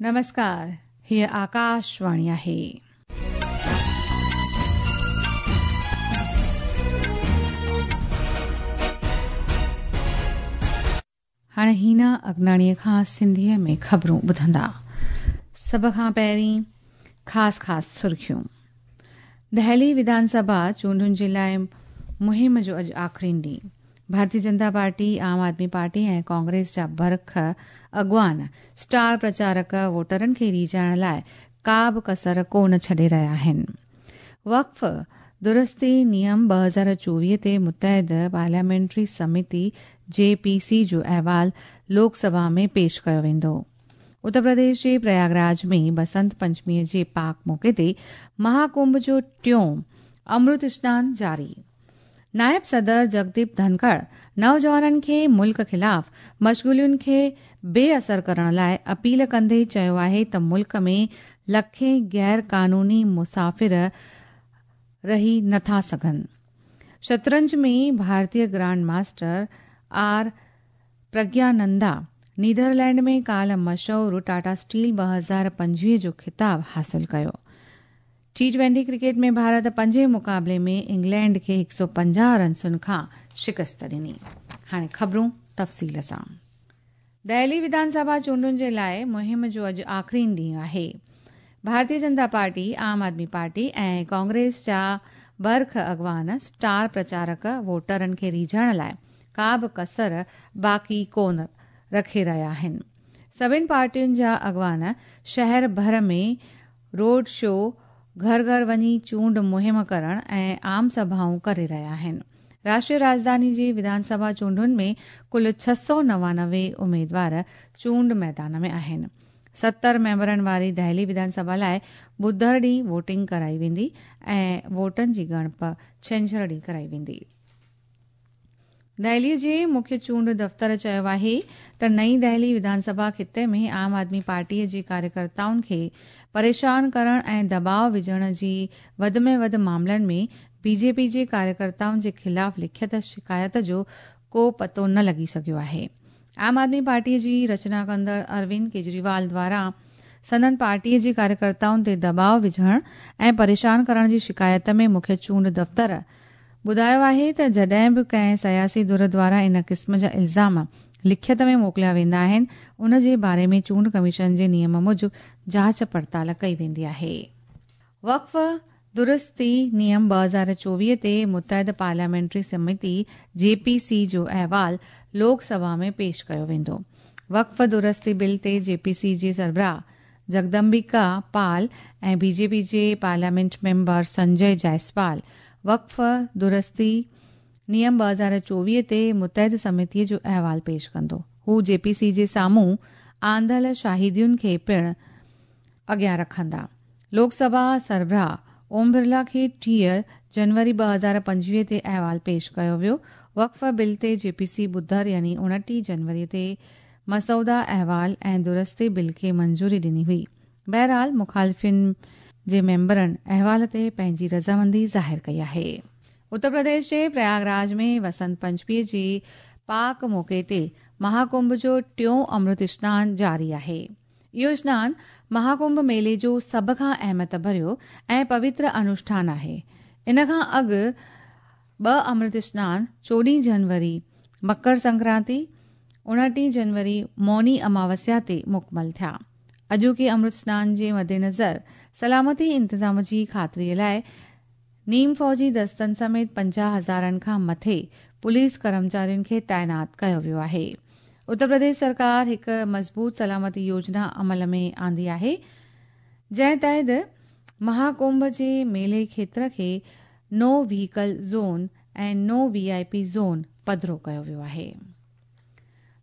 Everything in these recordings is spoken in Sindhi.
نمسڪار، هيء آڪاشواڻي آهي. هاڻي هينا اگناڻيء کان سنڌيء ۾ خبرون ٻڌندا. سڀ کان پهرين خاص خاص سرخيون. دهلي وڌان سڀا چونڊن جي لاء مهم جو اڄ آخرين ڏينهن. ڀارتي جنتا پارٽي، عام آدمي پارٽي ۽ ڪانگريس جا برک اڳواڻ، اسٽار پرچارڪ ووٽرن کي ريجهائڻ لاء ڪا به ڪسر ڪو نه ڇڏي رهيا آهن. وقف درستي نيم 2024 تي متحد پارليامينٽري سميتي جي پي سي جو احوال لوڪ سڀا ۾ پيش ڪيو ويندو. اتر پرديش جي پرياگراج ۾ بسنت پنچمي جي پاڪ موقعي تي مها ڪنڀ جو ٽيون امرت سنان جاري. نائب صدر جگديپ ڌنکڙ نوجوانن کي ملڪ خلاف مشغولين کي بي اثر ڪرڻ لاء اپيل ڪندي چيو آهي ته ملڪ ۾ لکين غير قانوني مسافر رهي نٿا سگهن. شطرنج ۾ ڀارتي grand master R Praggnanandhaa Netherland ۾ ڪالهه مشهور ٽاٽا اسٽيل 2025 جو خطاب حاصل ڪيو. ٽي ٽوئنٽي ڪرڪيٽ ۾ ڀارت پنجين مقابلي ۾ انگلينڊ کي 150 رنسن کان شڪست ڏني. هاڻي خبرون تفصيل سان. دهلي وڌان سڀا چونڊن جي لاء مهم جو اڄ آخرين ڏينهن آهي. ڀارتي جنتا پارٽي، عام آدمي پارٽي ۽ ڪانگريس جا برک اڳواڻ، اسٽار پرچارڪ ووٽرن کي ريجهائڻ لاء ڪا به ڪسر باقي ڪونه رکي رهيا آهن. سڀني پارٽين جا اڳواڻ شهر ڀر ۾ روڊ شو، گهر گهر وڃي چونڊ مهم ڪرڻ ۽ عام سڀائون ڪري رهيا آهن. راشٽريه راڄڌاني جي وڌان سڀا چونڊن ۾ ڪل 699 اميدوار چونڊ ميدان ۾ آهن. 70 ميمبرن واري دهلي وڌان سڀا لاء ٻڌر ڏينهن ووٽنگ ڪرائي ويندي ۽ ووٽن جي ڳڻپ ڇنڇر ڏينهن ڪرائي ويندي. دهلي جي مکيه چونڊ دفتر چيو آهي ته نئين دهلي وڌان سڀا خطي ۾ عام آدمي پارٽي جي ڪاريڪرتائن کي پريشان ڪرڻ ۽ دٻاء وجهڻ جي وڌ ۾ وڌ معاملن ۾ بي جي پي جي ڪاريڪرتائن جي خلاف لکيت شڪايت جو ڪو پتو نه لڳي سگهيو آهي. عام آدمي پارٽي جي رچنا ڪندڙ اروند ڪيجريوال دواران سندن پارٽي جي ڪاريڪرتائن تي دٻاء وجهڻ ۽ پريشان ڪرڻ جي شڪايت ۾ مکيه چونڊ دفتر ٻڌايو آهي ته جڏهن به ڪنهن سياسي ڌر دواران ان قسم جا الزام لکيت ۾ موڪليا ويندا آهن ان جي باري ۾ چونڊ ڪميشن جي نيم موجب جاچ پڙتال ڪئي ويندي آهي. وقف درستي نيم 2024 تي متحد پارليامينٽري سميتي جي پي سي جو احوال لوڪ سڀا ۾ پيش ڪيو ويندو. وقف درستي بل تي جي پي سي جي سربراهه جگدمبيڪا پال ۽ بي جي پي جي پارليامينٽ ميمبر سنجي جائسوال وقف درستي نيم 2024 تي متحد سميتي جو احوال پيش ڪندو. هو جي پي سي جي سامهون آندل شاهدين کي پڻ اڳيان رکندا. لوڪ سڀا سربراهه اوم برلا کي 30 جنوري 2025 تي احوال پيش ڪيو ويو. وقف بل تي جي پي سي ٻڌر يعني 29 جنوري تي مسودا احوال ۽ درستي بل کي منظوري ڏني هئي. بهرحال مخالفين جي ميمبرن احوال تي پنهنجي رضامندي ظاهر ڪئي آهي. اتر پرديش جي پرياگراج ۾ وسنت پنچمي جي پاڪ موقعي تي مهاڪنڀ جو ٽيون امرت سنان جاري آهي. اهو سنان مهاڪنڀ ميلي جو سڀ کان اهميت ڀريو ۽ پوتر انوشٺان آهي. ان کان اڳ ٻه امرت سنان 14 جنوري مڪر سنڪرانتي، 29 جنوري موني اماوسيا تي مڪمل ٿيا. اڄوڪي امرت سنان جي مدنظر سلامتي انتظام جي خاطري لاء نيم فوجي دستن سميت 50 هزارن کان مٿي پوليس ڪرمچارين کي تعينات ڪيو ويو آهي. اتر پرديش سرڪار هڪ مضبوط سلامتي يوجنا عمل ۾ آندي آهي، جنهن تحت مهاڪنڀ جي ميلي کيتر کي no vehicle zone ۽ no V I P zone پڌرو ڪيو ويو آهي.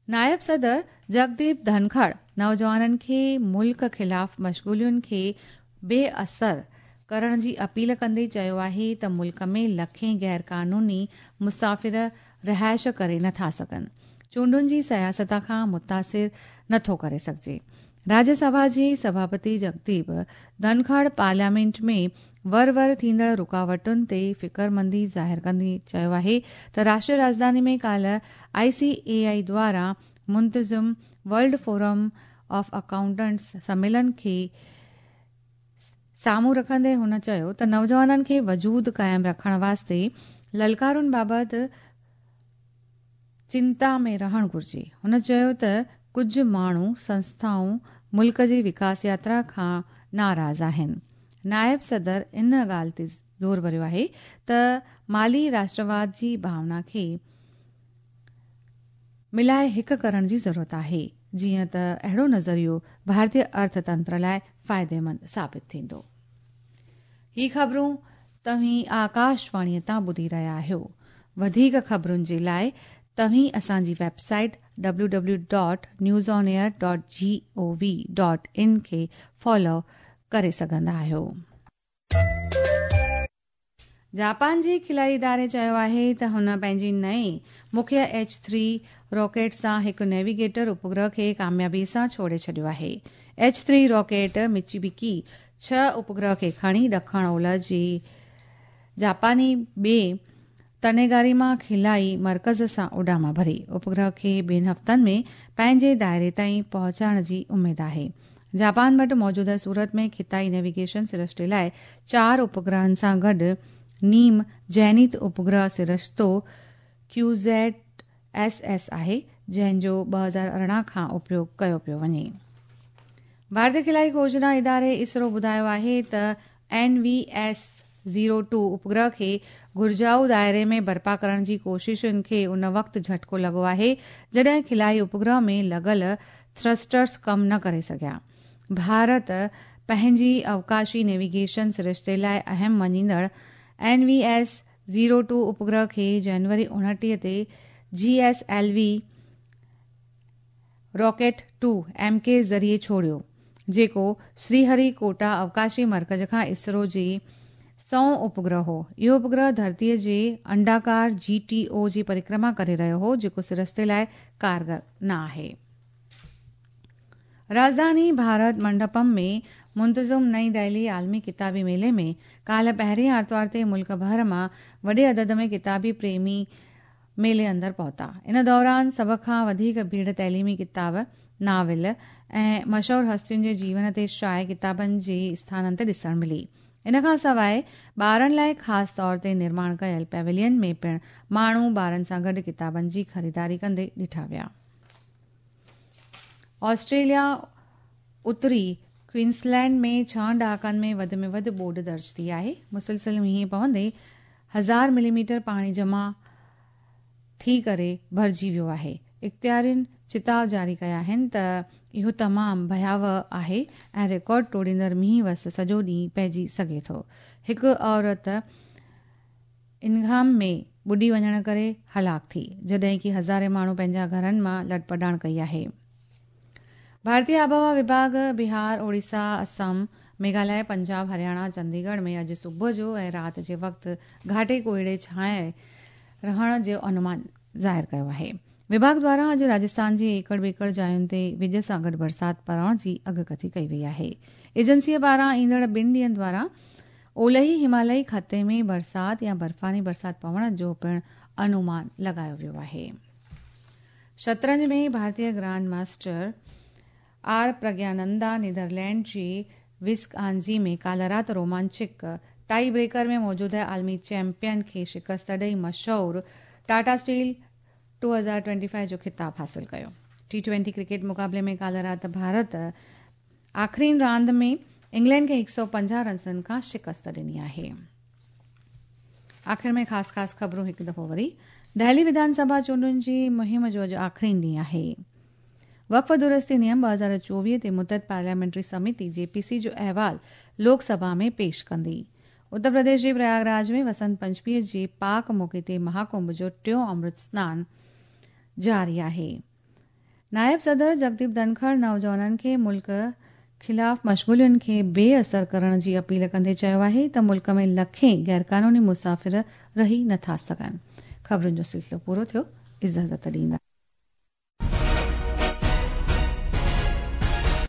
نائب صدر جگديپ ڌنکڙ نوجوانن کي ملڪ خلاف مشغولين کي بي اثر ڪرڻ جي اپيل ڪندي چيو آهي ته ملڪ ۾ لکين غير قانوني مسافر رهائش ڪري نٿا سگهن، چونڊن جي سياست کان متاثر نٿو ڪري سگهجي. راجيه سڀا جي سڀاپتي جگديپ ڌنکڙ پارليامينٽ ۾ ور ور ٿيندڙ رڪاوٽن تي فڪرمندي ظاهر ڪندي چيو آهي ته راشٽريه راڄڌاني ۾ ڪالهه آء سي اي آء دواران منتظم ورلڊ فورم آف اڪائونٽنٽس سميلن کي سامهون رکندي هن چيو ته نوجوانن کي وجود قائم رکڻ واسطي للڪارن بابت چنتا ۾ رهڻ گهرجي. هن چيو ته ڪجهه ماڻهو، سنسٿائون ملڪ جي وڪاس ياترا کان ناراض آهن. نائب صدر ان ڳالهه تي زور ڀريو آهي ته مالي راشٽرواد جي ڀاونا کي ملائي هڪ ڪرڻ جي ضرورت آهي، جيئن ته اهڙو نظريو ڀارتي ارٿ تنتر لاء فائديمند ثابت ٿيندو. هي خبرون توهين آڪاشواڻيء تان ٻڌي رهيا آهيو. وڌيڪ خبرن جي لاء توهين اسان جي website W W dot news on air dot G O V dot in کي فالو ڪري سگهندا آهيو. جاپان جي خلائي اداري چيو آهي ته هن پنهنجي نئين مکيه ايڇ ٿري راڪيٽ سان هڪ نيويگيٽر اپگرهه کي ڪاميابي سان ڇوڙي ڇڏيو آهي. ايڇ ٿري راڪيٽ مچيبيڪي ڇهه اپگرهه کي کڻي ڏکڻ اولهه جي جاپاني ٻي تنيگاريما خلائي مرڪز سان اڏام ڀري. اپگرهه کي ٻن هفتن ۾ پنهنجي دائري تائين پهچائڻ جي اميد آهي. جاپان وٽ موجوده صورت ۾ خطائي نيويگيشن سرشتي لاء چار اپگرهن سان گڏ نيم زينيٿ اپگرهه سرشتو ڪيوزيٽ ايس ايس آهي، جنهن جو 2018 کان اپيوگ ڪيو پيو وڃي. ڀارتي خلائي کوجنا اداري اسرو ٻڌايو آهي ته N V S zero two اپگرهه کي گهرجائو دائري ۾ برپا ڪرڻ جي ڪوششن کي ان وقت جهٽڪو لڳو آهي جڏهن خلائي اپگرهه ۾ لڳل ٿرسٽرز ڪم نه ڪري سگهيا. ڀارت پنهنجي اوڪاشي نيويگيشن سرشتي لاء اهم مڃيندڙ N V S zero two اپگرهه کي جنوري 29 تي G S L V rocket two M K ذريعي ڇوڙيو، جيڪو سري هري ڪوٽا اوڪاشي مرڪز کان اسرو جي سئون اپگرهه هو. اهو اپگرهه ڌرتيء جي انڊاڪار جي ٽي او جي پرڪرما ڪري رهيو هو، جيڪو سرشتي لاء ڪارگر نه آهي. راڄڌاني ڀارت منڊپم ۾ منتظم نئين دهلي عالمي ڪتابي ميلي ۾ ڪالهه پهرين آرتوار تي ملڪ ڀر مان وڏي عدد ۾ ڪتابي پريمي ميلي اندر پهتا. ان دوران سڀ کان وڌيڪ ڀيڙ تعليمي ڪتاب، ناول ۽ مشهور هستين جي جيون تي شايع ڪتابن جي اسٿانن تي ڏسڻ ملي. ان کان سواء ٻارن لاء خاص طور تي نرماڻ ڪيل پيويلين ۾ پڻ ماڻهو ٻارن سان گڏ ڪتابن جي خريداري ڪندي ڏٺا ويا. آسٽريليا اتري ڪوئنسلينڊ ۾ ڇهن ڏهاڪن ۾ وڌ ۾ وڌ ٻوڏ درج ٿي آهي. مسلسل مينهن پوندي هزار ملي ميٽر پاڻي جمع ٿي ڪري ڀرجي ويو آهي. اختيارين چتاء جاري ڪيا آهن ته اهو تمام ڀياوهه آهي ۽ رڪارڊ ٽوڙيندڙ مينهن وس سڄو ڏينهن پئجي سگهي ٿو. هڪ عورت انگهام ۾ ٻڏي وڃڻ ڪري هلاڪ ٿي، جڏهن ڪي هزارين ماڻهو پنهنجا گهرن مان لڏپلاڻ ڪئي آهي. ڀارتي آبهوا وڀاڳ بهار، اوڙيسا، اسم، ميگهاليه، پنجاب، هرياڻا، چنديڳڙهه ۾ اڄ صبح جو ۽ رات جي وقت گهاٽي ڪوهيڙي ڇانئي رهڻ جو انومان ظاهر ڪيو آهي. وڀاڳ دواران اڄ راجستان جي ايڪڙ ٻيڪڙ جاين تي وڄ سان گڏ برسات پوڻ جي اڳڪٿي ڪئي وئي آهي. ايجنسيء پاران ايندڙ ٻن ڏينهن دواران اولهي همالئي خطي ۾ برسات يا برفاني برسات پوڻ جو پڻ انومان لڳايو ويو آهي. شطرنج ۾ ڀارتي grand master R Praggnanandhaa Netherland جي وسڪ آنزي ۾ ڪالهه رات رومانچڪ ٽائي بريڪر ۾ موجوده عالمي چيمپيئن کي شڪست ڏئي مشهور ٽاٽا اسٽيل 2025 جو خطاب حاصل ڪيو. ٽي ٽوئنٽي ڪرڪيٽ مقابلي ۾ ڪالهه رات ڀارت آخرين راند ۾ انگلينڊ کي 150 رنسن کان شڪست ڏني آهي. آخر ۾ خاص خاص خبرون هڪ دفعو وري. دهلي وڌان سڀا چونڊن جي مهم جو اڄ آخرين ڏينهن آهي. وقف درستي نيم 2024 تي متحد پارليامينٽري سميتي جي پي سي جو احوال لوڪ سڀا ۾ پيش ڪندي. اتر پرديش جي پرياگ راج ۾ وسنت پنچمي جي پاڪ موقعي تي مهاڪنڀ جو ٽيون امرت سنان جاري آهي. نائب صدر جگديپ ڌنکڙ نوجوانن کي ملڪ خلاف مشغولين کي بي اثر ڪرڻ جي اپيل ڪندي چيو آهي ته ملڪ ۾ لکين غيرقانوني مسافر رهي نٿا سگهن. خبرن جو سلسلو پورو ٿيو، اجازت ڏيندا.